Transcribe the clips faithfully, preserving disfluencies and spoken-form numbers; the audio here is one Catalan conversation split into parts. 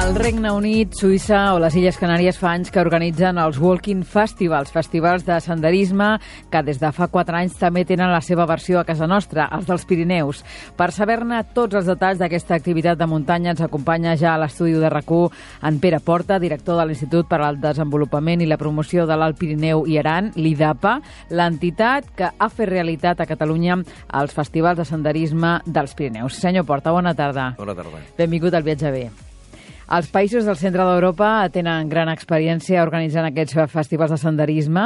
El Regne Unit, Suïssa o les Illes Canàries fa anys que organitzen els Walking Festivals, festivals de senderisme que des de fa quatre anys també tenen la seva versió a casa nostra, els dels Pirineus. Per saber-ne tots els detalls d'aquesta activitat de muntanya ens acompanya ja a l'estudi de RAC u en Pere Porta, director de l'Institut per al Desenvolupament i la Promoció de l'Alt Pirineu i Aran, l'IDAPA, l'entitat que ha fet realitat a Catalunya els festivals de senderisme dels Pirineus. Senyor Porta, bona tarda. Bona tarda. Benvingut al Viatge Bé. Els països del centre d'Europa tenen gran experiència organitzant aquests festivals de senderisme,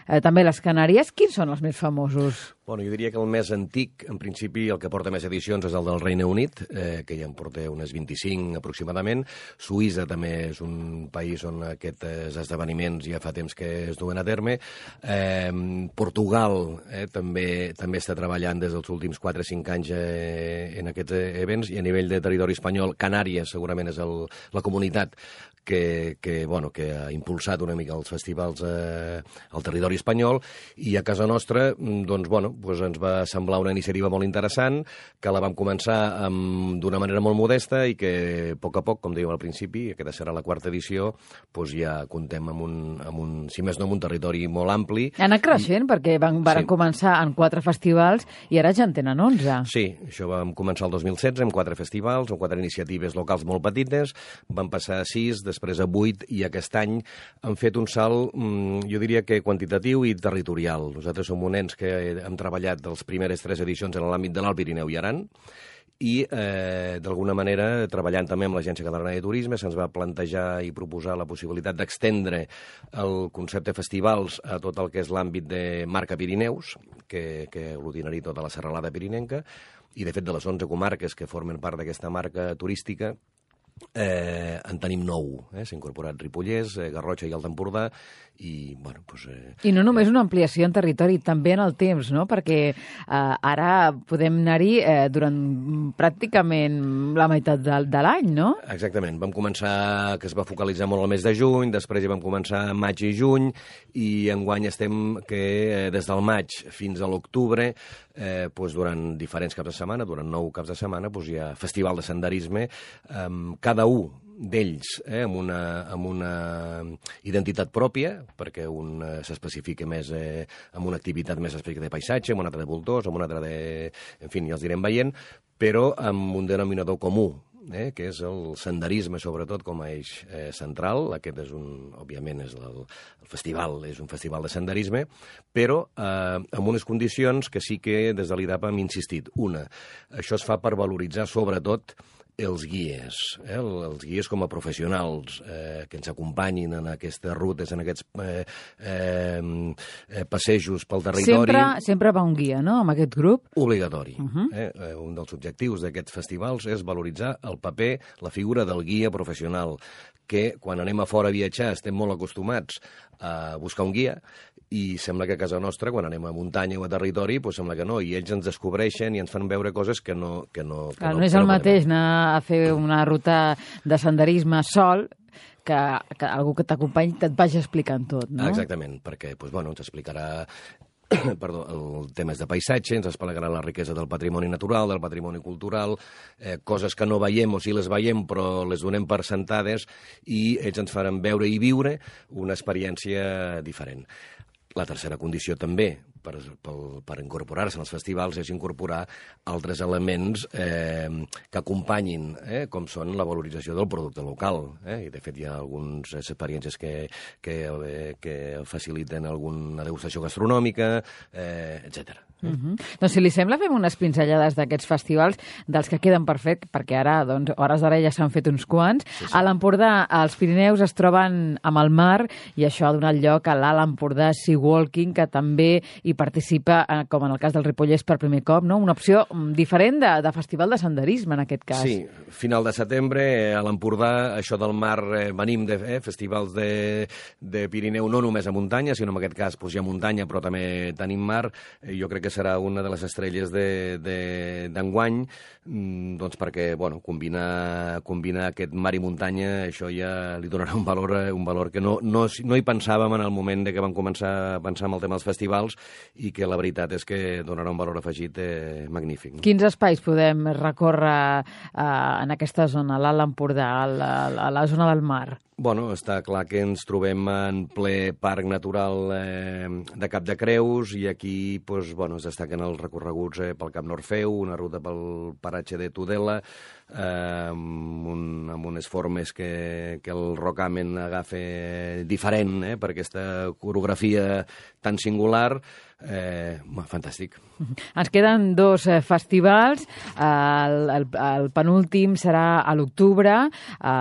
eh, també les Canàries. Quins són els més famosos? Bueno, jo diria que el més antic, en principi, el que porta més edicions és el del Regne Unit, eh, que ja en porta unes vint-i-cinc aproximadament. Suïssa també és un país on aquests esdeveniments ja fa temps que es duen a terme. Eh, Portugal eh, també també està treballant des dels últims quatre o cinc anys eh, en aquests events, i a nivell de territori espanyol, Canàries segurament és el, la comunitat que, que, bueno, que ha impulsat una mica els festivals eh, al territori espanyol, i a casa nostra, doncs, bueno, doncs ens va semblar una iniciativa molt interessant, que la vam començar d'una manera molt modesta i que, a poc a poc, com dèiem al principi, aquesta serà la quarta edició, doncs ja comptem amb un, amb un, si més no, amb un territori molt ampli. Ha anat creixent, perquè van, van sí. començar en quatre festivals i ara ja en tenen onze. Sí, això vam començar el dos mil setze amb quatre festivals, amb quatre iniciatives locals molt petites, van passar a sis, després a vuit, i aquest any han fet un salt, jo diria que quantitatiu i territorial. Nosaltres som un ens que hem treballat les primeres tres edicions en l'àmbit de l'Alt Pirineu i Aran, i eh, d'alguna manera, treballant també amb l'Agència Catalana de Turisme, se'ns va plantejar i proposar la possibilitat d'extendre el concepte festivals a tot el que és l'àmbit de marca Pirineus, que, que aglutinaria tota la serralada pirinenca, i de fet de les onze comarques que formen part d'aquesta marca turística, Eh, en tenim nou. Eh? S'ha incorporat Ripollès, eh, Garrotxa i Alt Empordà, i, bueno, doncs... Eh, I no només una ampliació en territori, també en el temps, no? Perquè eh, ara podem anar-hi eh, durant pràcticament la meitat de, de l'any, no? Exactament. Vam començar, que es va focalitzar molt al mes de juny, després ja vam començar maig i juny, i enguany estem que eh, des del maig fins a l'octubre, eh, doncs durant diferents caps de setmana, durant nou caps de setmana, doncs hi ha festival de senderisme, eh, cada un d'ells eh, amb, una, amb una identitat pròpia, perquè un eh, s'especifica més eh, amb una activitat més específica de paisatge, amb una altra de voltors, amb una altra de... En fi, ja els direm veient, però amb un denominador comú, eh, que és el senderisme, sobretot, com a eix eh, central. Aquest és un, òbviament, és el, el festival, és un festival de senderisme, però eh, amb unes condicions que sí que des de l'IDAPA hem insistit. Una, això es fa per valoritzar, sobretot, els guies, eh? els guies com a professionals eh, que ens acompanyin en aquestes rutes, en aquests eh, eh, passejos pel territori. Sempre, sempre va un guia, no?, amb aquest grup? Obligatori. Uh -huh. eh? Un dels objectius d'aquests festivals és valoritzar el paper, la figura del guia professional, que quan anem a fora a viatjar estem molt acostumats a buscar un guia, i sembla que a casa nostra, quan anem a muntanya o a territori, doncs sembla que no, i ells ens descobreixen i ens fan veure coses que no... Que no, que Clar, no, no és que el no mateix anar a fer una ruta de senderisme sol que, que algú que t'acompanyi et vagi explicant tot, no? Exactament, perquè doncs, bueno, ens explicarà perdó, el temes de paisatge, ens explicarà la riquesa del patrimoni natural, del patrimoni cultural, eh, coses que no veiem o si les veiem però les donem per sentades, i ells ens faran veure i viure una experiència diferent. La tercera condició també per, per, per incorporar-se als festivals és incorporar altres elements eh, que acompanyin, eh, com són la valorització del producte local. Eh? I, de fet, hi ha algunes experiències que, que, eh, que faciliten alguna degustació gastronòmica, eh, etcètera. Uh -huh. Doncs si li sembla fem unes pinzellades d'aquests festivals dels que queden per fer, perquè ara, doncs, hores d'ara ja s'han fet uns quants. Sí, sí. A l'Empordà, els Pirineus es troben amb el mar, i això ha donat lloc a l'Alt Empordà Sea Walking, que també hi participa, eh, com en el cas del Ripollès, per primer cop, no? Una opció diferent de, de festival de senderisme, en aquest cas. Sí, final de setembre, a l'Empordà, això del mar, eh, venim de eh, festivals de, de Pirineu, no només a muntanya, sinó en aquest cas doncs, hi ha muntanya, però també tenim mar. Eh, jo crec que serà una de les estrelles d'enguany, doncs perquè, bueno, combinar, combinar aquest mar i muntanya, això ja li donarà un valor, un valor que no, no, no hi pensàvem en el moment de que vam començar a pensar en el tema dels festivals, i que la veritat és que donarà un valor afegit eh, magnífic. Quins espais podem recórrer eh, en aquesta zona, l'Alt Empordà, a la, a la zona del mar? Bueno, està clar que ens trobem en ple parc natural eh, de Cap de Creus i aquí pues, bueno, es destaquen els recorreguts eh, pel Camp Norfeu, una ruta pel paratge de Tudela, eh, amb, un, amb unes formes que, que el rocamen agafa diferent eh, per aquesta coreografia tan singular. Eh, fantàstic. Ens queden dos eh, festivals. El, el, el penúltim serà a l'octubre, eh,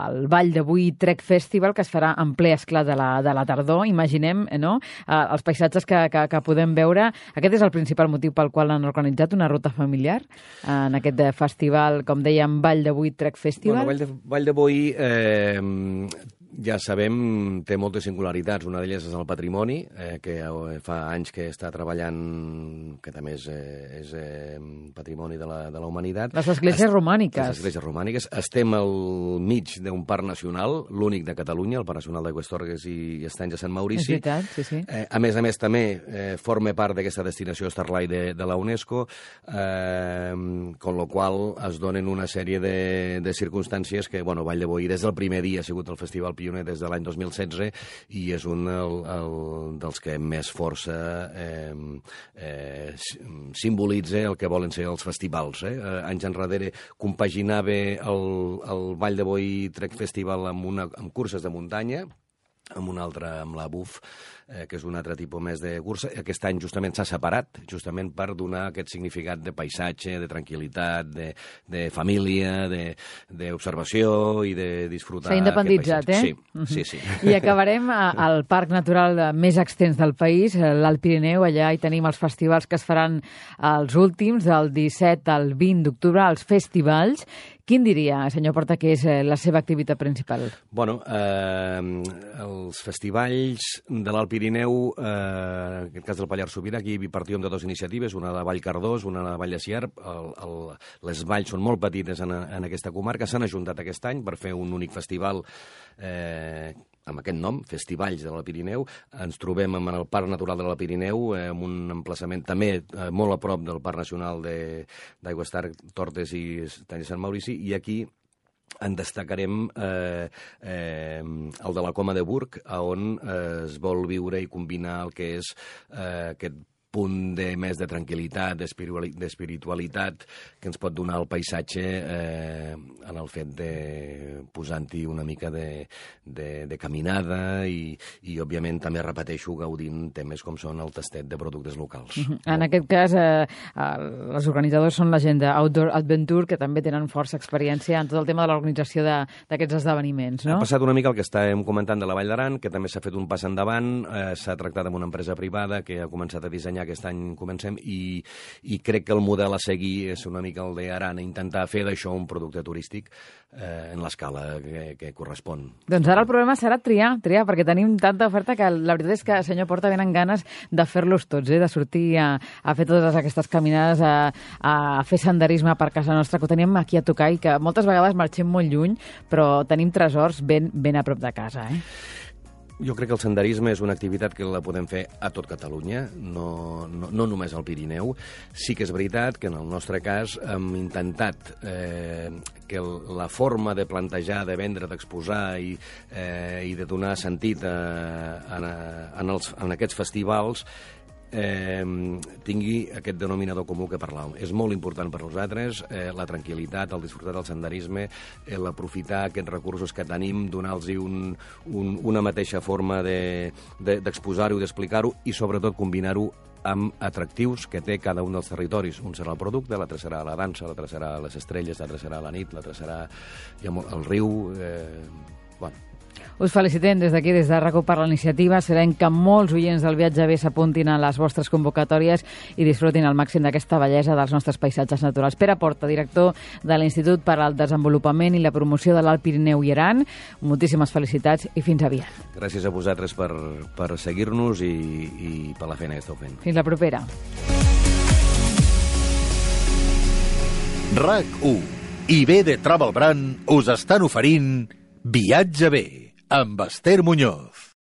el Vall de Boí Trek Festival, que es farà en ple esclat de la, de la tardor, imaginem, eh, no? Eh, els paisatges que, que, que podem veure. Aquest és el principal motiu pel qual han organitzat una ruta familiar eh, en aquest festival, com dèiem, Vall de Boí Trek Festival. Bueno, Vall de, Vall de Boí, eh, ja sabem, té moltes singularitats. Una d'elles és el patrimoni, eh, que fa anys que està treballant, que també és, eh, és eh, patrimoni de la, de la humanitat. Les esglésies Est romàniques. Les esglésies romàniques. Estem al mig d'un parc nacional, l'únic de Catalunya, el Parc Nacional d'Aigües Torres i Estanys de Sant Maurici. És veritat, sí, sí. Eh, a més a més, també eh, forma part d'aquesta destinació Starlight de, de la UNESCO, eh, con lo qual es donen una sèrie de, de circumstàncies que, bueno, Vall de Boí des del primer dia ha sigut el festival pioner des de l'any dos mil setze i és un el, el, dels que més força eh, eh, simbolitza el que volen ser els festivals. Eh? Eh, anys enrere compaginava el, el Vall de Boí Trek Festival amb, una, amb curses de muntanya, amb una altra, amb la B U F, eh, que és un altre tipus més de cursa. Aquest any justament s'ha separat, justament per donar aquest significat de paisatge, de tranquil·litat, de, de família, d'observació i de disfrutar. S'ha independitzat, eh? Sí, sí, sí. I acabarem al parc natural més extens del país, l'Alt Pirineu. Allà hi tenim els festivals que es faran els últims, del disset al vint d'octubre, els festivals. Quin diria, senyor Porta, que és la seva activitat principal? Bueno, eh, els festivals de l'Alt Pirineu, eh, en aquest cas del Pallars Sobirà, aquí partíem de dues iniciatives, una de Vall Cardós, una de Vall de Sierp. El, el, les valls són molt petites en, en aquesta comarca, s'han ajuntat aquest any per fer un únic festival eh, amb aquest nom, Festivalls de l'Alt Pirineu. Ens trobem en el Parc Natural de l'Alt Pirineu, eh, amb un emplaçament també eh, molt a prop del Parc Nacional d'Aigües Torres i Estanys de Sant Maurici, i aquí en destacarem eh, eh, el de la Coma de Burg, on eh, es vol viure i combinar el que és eh, aquest punt de més de tranquil·litat, d'espiritualitat, que ens pot donar el paisatge eh, en el fet de posant-hi una mica de, de, de caminada i, i, òbviament, també repeteixo, gaudint temes com són el tastet de productes locals. Uh-huh. En aquest cas, eh, els organitzadors són la gent d'Outdoor Adventure, que també tenen força experiència en tot el tema de l'organització d'aquests esdeveniments, no? Ha passat una mica el que estàvem comentant de la Vall d'Aran, que també s'ha fet un pas endavant, eh, s'ha tractat amb una empresa privada que ha començat a dissenyar. Aquest any comencem i, i crec que el model a seguir és una mica el d'Aran, intentar fer d'això un producte turístic eh, en l'escala que, que correspon. Doncs ara el problema serà triar, triar, perquè tenim tanta oferta que la veritat és que, senyor Porta, venen ganes de fer-los tots, eh? De sortir a, a fer totes aquestes caminades, a, a fer senderisme per casa nostra, que ho tenim aquí a tocar i que moltes vegades marxem molt lluny, però tenim tresors ben, ben a prop de casa, eh? Jo crec que el senderisme és una activitat que la podem fer a tot Catalunya, no, no, no només al Pirineu. Sí que és veritat que en el nostre cas hem intentat eh, que la forma de plantejar, de vendre, d'exposar i, eh, i de donar sentit a, a, en, els, en aquests festivals eh, tingui aquest denominador comú que parlàvem. És molt important per nosaltres eh, la tranquil·litat, el disfrutar del senderisme, l'aprofitar aquests recursos que tenim, donar-los un, un, una mateixa forma d'exposar-ho de, de, i d'explicar-ho i sobretot combinar-ho amb atractius que té cada un dels territoris. Un serà el producte, l'altre serà la dansa, l'altre serà les estrelles, l'altre serà la nit, l'altre serà el riu... Eh, bueno, us felicitem des d'aquí, des de RACU, per la iniciativa. Sabem que molts oients del Viatge B s'apuntin a les vostres convocatòries i disfrutin al màxim d'aquesta bellesa dels nostres paisatges naturals. Pere Porta, director de l'Institut per al Desenvolupament i la Promoció de l'Alt Pirineu i Aran, moltíssimes felicitats i fins aviat. Gràcies a vosaltres per, per seguir-nos i, i per la feina que esteu fent. Fins la propera. RAC u i B de Travel Brand us estan oferint Viatge B amb Esther Muñoz.